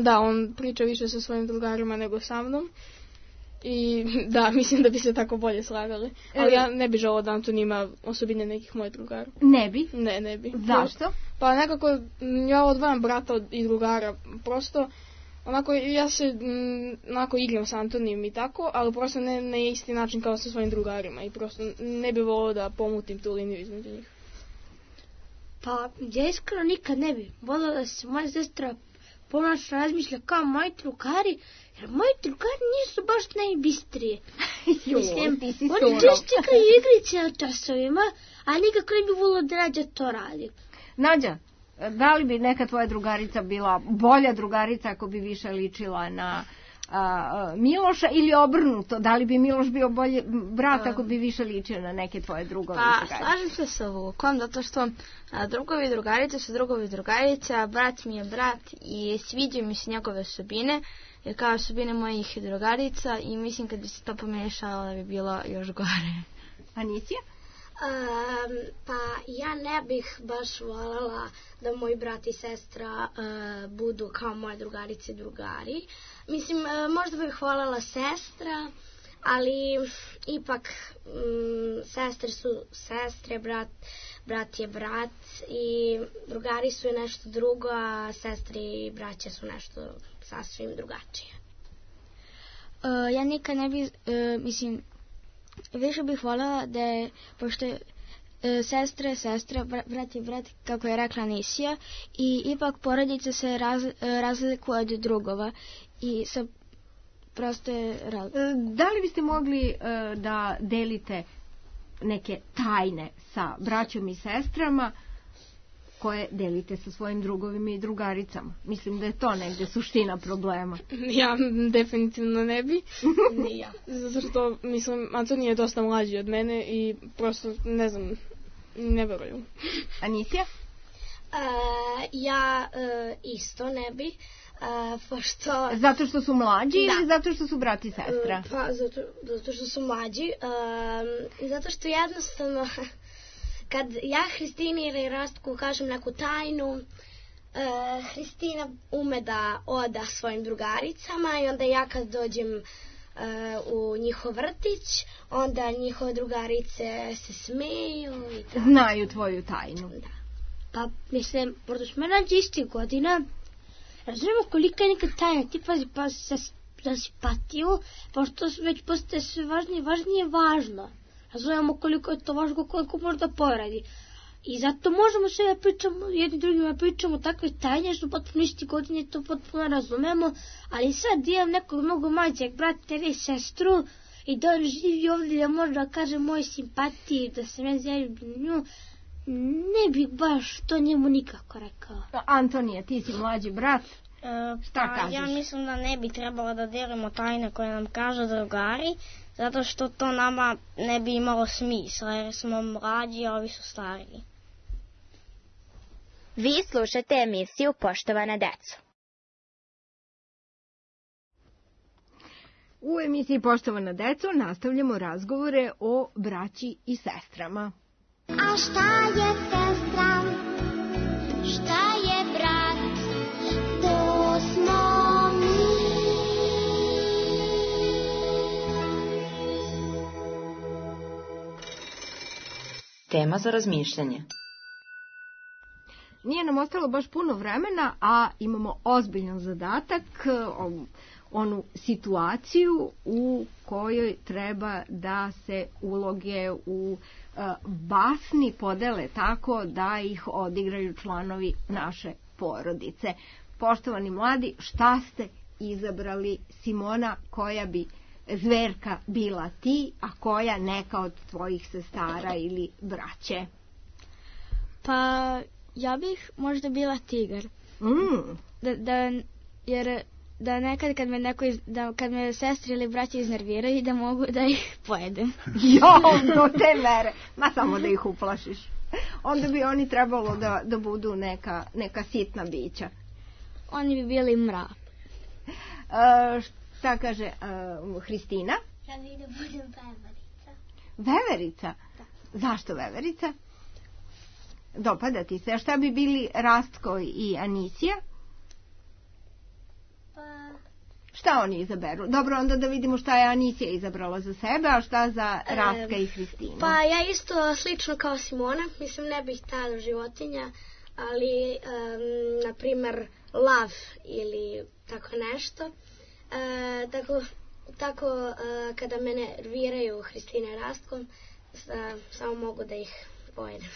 Da, on priča više sa svojim drugarima nego sa mnom. I da, mislim da bi se tako bolje slagali. Ali ja ne bi želao da Anton ima osobine nekih mojih drugara. Ne bi? Ne, ne bi. Zašto? Pa nekako ja odvojam brata od i drugara. Prosto, onako ja se m, onako igram sa Antonijem i tako, ali prosto ne na isti način kao sa svojim drugarima. I prosto ne bi volio da pomutim tu liniju između njih. Pa ja iskreno nikad ne bi volio da se moja sestra ponaša, razmišlja kao moji drugari, jer moji drugari nisu baš najbistrije. Mislim, oni češće čekaju igrice na časovima, a nikako ne bi volio da Nađa to radi. Nađa, da li bi neka tvoja drugarica bila bolja drugarica ako bi više ličila na a, Miloša ili obrnuto? Da li bi Miloš bio bolje brat ako bi više ličio na neke tvoje drugove? Pa, slažem se sa Vukom, zato što a, drugovi i drugarice su drugovi i drugarice, a brat mi je brat i sviđaju mi se njegove osobine, jer kao osobine mojih drugarica i mislim kad bi se to pomiješalo da bi bilo još gore. Anicija? Um, pa ja ne bih baš voljela da moji brat i sestra uh, budu kao moje drugarice i drugari. Mislim, uh, možda bih voljela sestra, ali ipak um, sestre su sestre, brat, brat je brat i drugari su nešto drugo, a sestre i braća su nešto sasvim drugačije. Uh, ja nikad ne bi, uh, mislim, više bih voljela da je, pošto je e, sestre, sestra, brat i brat, kako je rekla Nisija, i ipak porodice se raz, e, razlikuje od drugova i sa prosto je raz... Da li biste mogli e, da delite neke tajne sa braćom i sestrama koje delite sa svojim drugovima i drugaricama? Mislim da je to negde suština problema. Ja definitivno ne bi. Ni ja. Zato što, mislim, Antonija je dosta mlađi od mene i prosto, ne znam, ne verujem. Anisija? Uh, ja uh, isto ne bi. Uh, pošto... Zato što su mlađi da. Ili zato što su brat i sestra? Uh, pa, zato, zato što su mlađi. Uh, zato što jednostavno... Kad ja Hristini ili Rastku kažem neku tajnu, uh, Hristina ume da oda svojim drugaricama i onda ja kad dođem uh, u njihov vrtić, onda njihove drugarice se smeju i tako. Znaju tvoju tajnu. Da. Pa, mislim, pošto smo nađe istih godina, razumemo kolika je neka tajna, tipa pa, za, za simpatiju, pošto već postaje sve važnije, važnije važno. Razumemo koliko je to važno, koliko možda poradi. I zato možemo sve da pričamo, jedni drugima pričamo takve tajne, što potpuno isti godine to potpuno razumemo, ali sad imam nekog mnogo mlađeg brata ili sestru i da on živi ovdje da može da kaže moje simpatije, da se ne zaljubim nju, ne bih baš to njemu nikako rekao. Antonija, ti si mlađi brat. E, Šta kažeš? Ja mislim da ne bi trebalo da delimo tajne koje nam kažu drugari, zato što to nama ne bi imalo smisla, jer smo mlađi, a ovi su stariji. Vi slušate emisiju Poštovana deco. U emisiji Poštovana deco nastavljamo razgovore o braći i sestrama. A šta je sestra? Šta je brat? To smo mi. Tema za razmišljanje. Nije nam ostalo baš puno vremena, a imamo ozbiljan zadatak, onu situaciju u kojoj treba da se uloge u basni podele tako da ih odigraju članovi naše porodice. Poštovani mladi, šta ste izabrali, Simona, koja bi zverka bila ti, a koja neka od tvojih sestara ili braće? Pa ja bih možda bila tigar. Mm. Da, da, jer da nekad kad me, neko iz, da, kad me sestre ili braće iznerviraju da mogu da ih pojedem. Jo, do te mere. Ma samo da ih uplašiš. Onda bi oni trebalo da, da budu neka, neka sitna bića. Oni bi bili mra. Uh, šta kaže uh, Hristina? Ja bih da budem veverica. Veverica? Da. Zašto veverica? Dopada ti se. A šta bi bili Rastko i Anisija? Pa... Šta oni izaberu? Dobro, onda da vidimo šta je Anisija izabrala za sebe, a šta za Rastka e, i Hristinu. Pa ja isto slično kao Simona. Mislim, ne bih tada životinja, ali, um, na primer, lav ili tako nešto. E, tako, tako e, kada me nerviraju Hristina i Rastkom, sa, samo mogu da ih pojedem.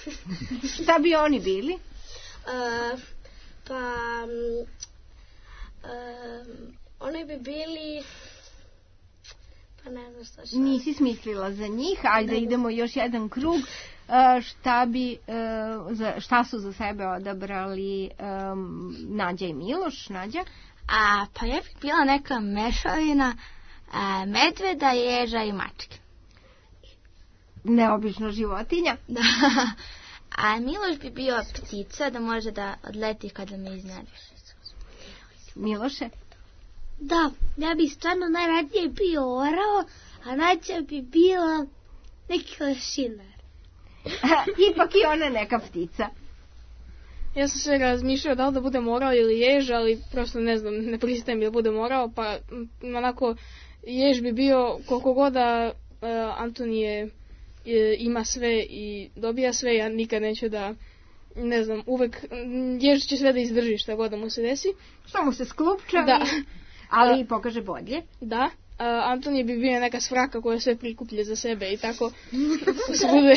Šta bi oni bili? E, pa... Um, oni bi bili, pa ne znam šta šta. Nisi smislila za njih, ajde da idemo još jedan krug. Šta bi, šta su za sebe odabrali um, Nađa i Miloš? Nađa? A, pa ja bih bila neka mešavina a, medveda, ježa i mačke. Neobična životinja. Da. A Miloš bi bio ptica da može da odleti kada me iznenadiš. Miloše? Da, ja bih stvarno najradije bio orao, a Nađa bi bila neki lešinar. Ipak i ona neka ptica. Ja sam se razmišljao da li da budem orao ili jež, ali prosto ne znam, ne pristajem da budem orao, pa m, onako jež bi bio koliko god da uh, Antonije e, ima sve i dobija sve, ja nikad neću da, ne znam, uvek jež će sve da izdrži šta god da mu se desi. Što mu se sklupča, da. ali i pokaže bolje. Da. Uh, Antonije bi bio neka svraka koja sve prikuplje za sebe i tako svude,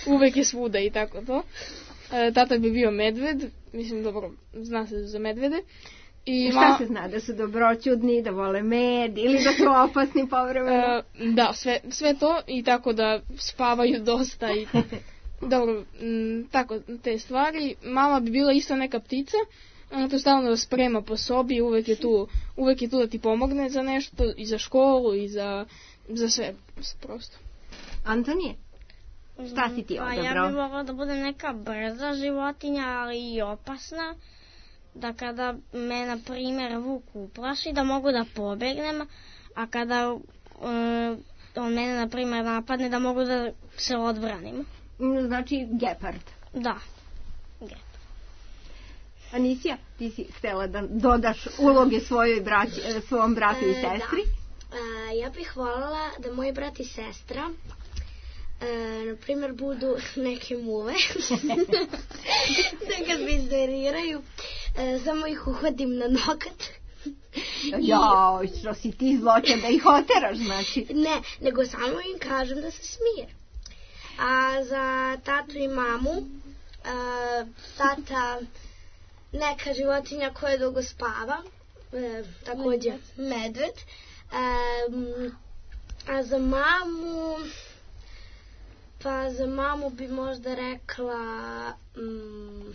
uvek je svuda i tako to. Uh, tata bi bio medved, mislim dobro, zna se za medvede. I šta ma... se zna, da su dobroćudni, da vole med ili da su opasni povremeno? Uh, da, sve, sve to i tako da spavaju dosta i dobro, m, tako te stvari. Mama bi bila isto neka ptica. Ona to stalno sprema po sobi, uvek je tu, uvek je tu da ti pomogne za nešto, i za školu, i za, za sve, prosto. Antonije, šta si ti odabrao? Pa ja bih mogla da bude neka brza životinja, ali i opasna, da kada me, na primjer, vuk uplaši, da mogu da pobegnem, a kada uh, on mene, na primjer, napadne, da mogu da se odbranim. Znači gepard. Da, gepard. Anisija, ti si htjela da dodaš uloge svojoj braći, svom bratu i sestri? Da. E, ja bih voljela da moji brat i sestra e, na primjer budu neke muve da kad me izderiraju e, samo ih uhodim na nokat. Jao, što si ti zloća da ih oteraš, znači? Ne, nego samo im kažem da se smije. A za tatu i mamu e, tata neka životinja koja dugo spava, e, također medved. E, a za mamu, pa za mamu bi možda rekla... Mm,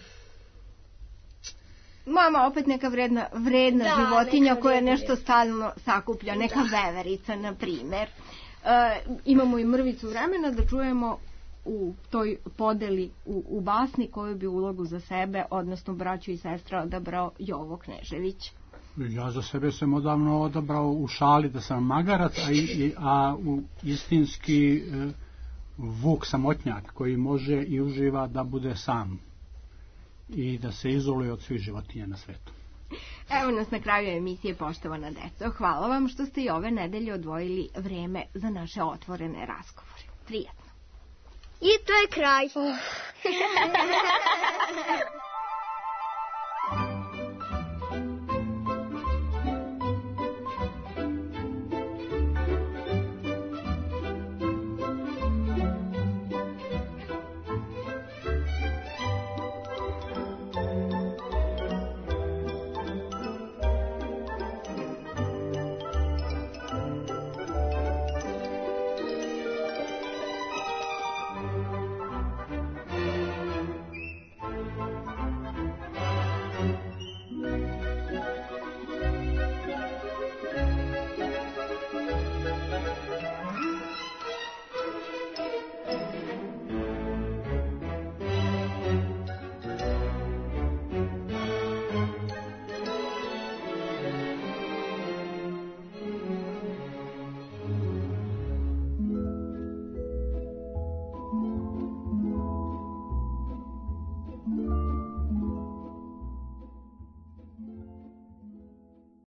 mama opet neka vredna, vredna da, životinja koja nešto stalno sakuplja, neka da. Veverica, na primjer. E, imamo i mrvicu vremena da čujemo u toj podeli u, u basni koju bi ulogu za sebe, odnosno braću i sestra, odabrao Jovo Knežević. Ja za sebe sam odavno odabrao u šali da sam magarac, a, i, a u istinski e, vuk samotnjak koji može i uživa da bude sam i da se izoluje od svih životinja na svetu. Evo nas na kraju emisije, poštovana deco. Hvala vam što ste i ove nedelje odvojili vreme za naše otvorene razgovore. Prijatno. I to je kraj.